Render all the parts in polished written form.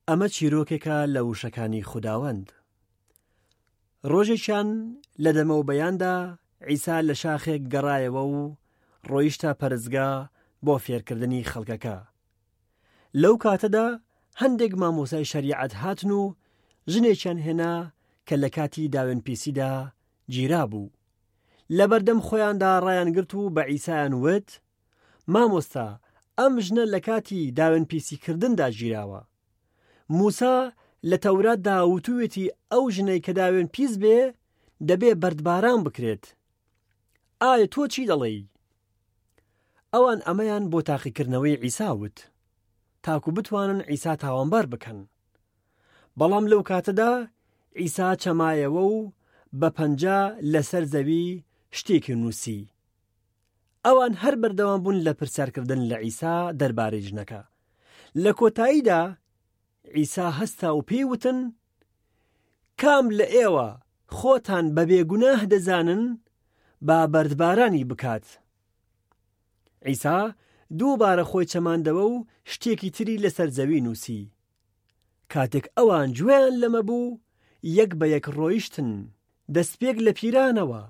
ئەمە چیرۆکێکە لە وشەکانی خوداوەند. ڕۆژێکیان لە دەمەو بەیاندا عیسا لە شاخێک گەڕایەوە و ڕۆیشتە پەرستگا بۆ فێرکردنی خەڵکەکە. لەو کاتەدا هەندێک مامۆستای شەریعەت هاتن و ژنێکیان هێنا کە لە کاتی داوێنپیسیدا گیرابوو. لەبەردەم خۆیاندا ڕایانگرت و بە عیسایان وت، مامۆستا ئەم ژنە لە کاتی داوێنپیسیکردندا گیراوە. موسا لە تەوراتدا وتوویەتی ئەو ژنەی کە داوێنپیس بێ دەبێ بەردباران بکرێت. ئایا تۆ چی دەڵێی؟ ئەوان ئەمەیان بۆ تاقیکردنەوەی عیسا وت، تاکو بتوانن عیسا تاوانبار بکەن. بەڵام لەو کاتەدا عیسا چەمایەوە و بە پەنجە لەسەر زەوی شتێکی نووسی. ئەوان هەر بەردەوام بوون لە پرسیارکردن لە عیسا دەربارەی ژنەکە. لە کۆتاییدا عیسا هەستا و پێی وتن، کام لە ئێوە خۆتان بە بێگوناه دەزانن، با بەردبارانی بکات. عیسا دووبارە خۆی چەماندەوە و شتێکی تری لەسەر زەوی نووسی. کاتێک ئەوان گوێیان لەمە بوو، یەک بە یەک ڕۆیشتن، دەستپێک لە پیرانەوە.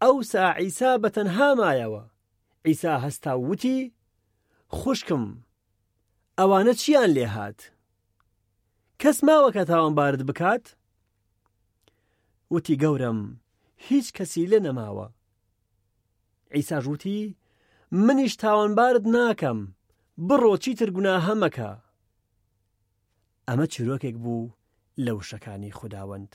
ئەوسا عیسا بە تەنها مایەوە. عیسا هەستا و وتی، خوشکم، ئەوانە چییان لێ هات؟ کەس ماوە کە تاوانبارت بکات؟ وتی، گەورەم، هیچ کەسی لێ نەماوە. عیساش وتی، منیش تاوانبارت ناکەم، بڕۆ چیتر گوناهە مەکە. ئەمە چیرۆکێک بوو لە وشەکانی خوداوەند.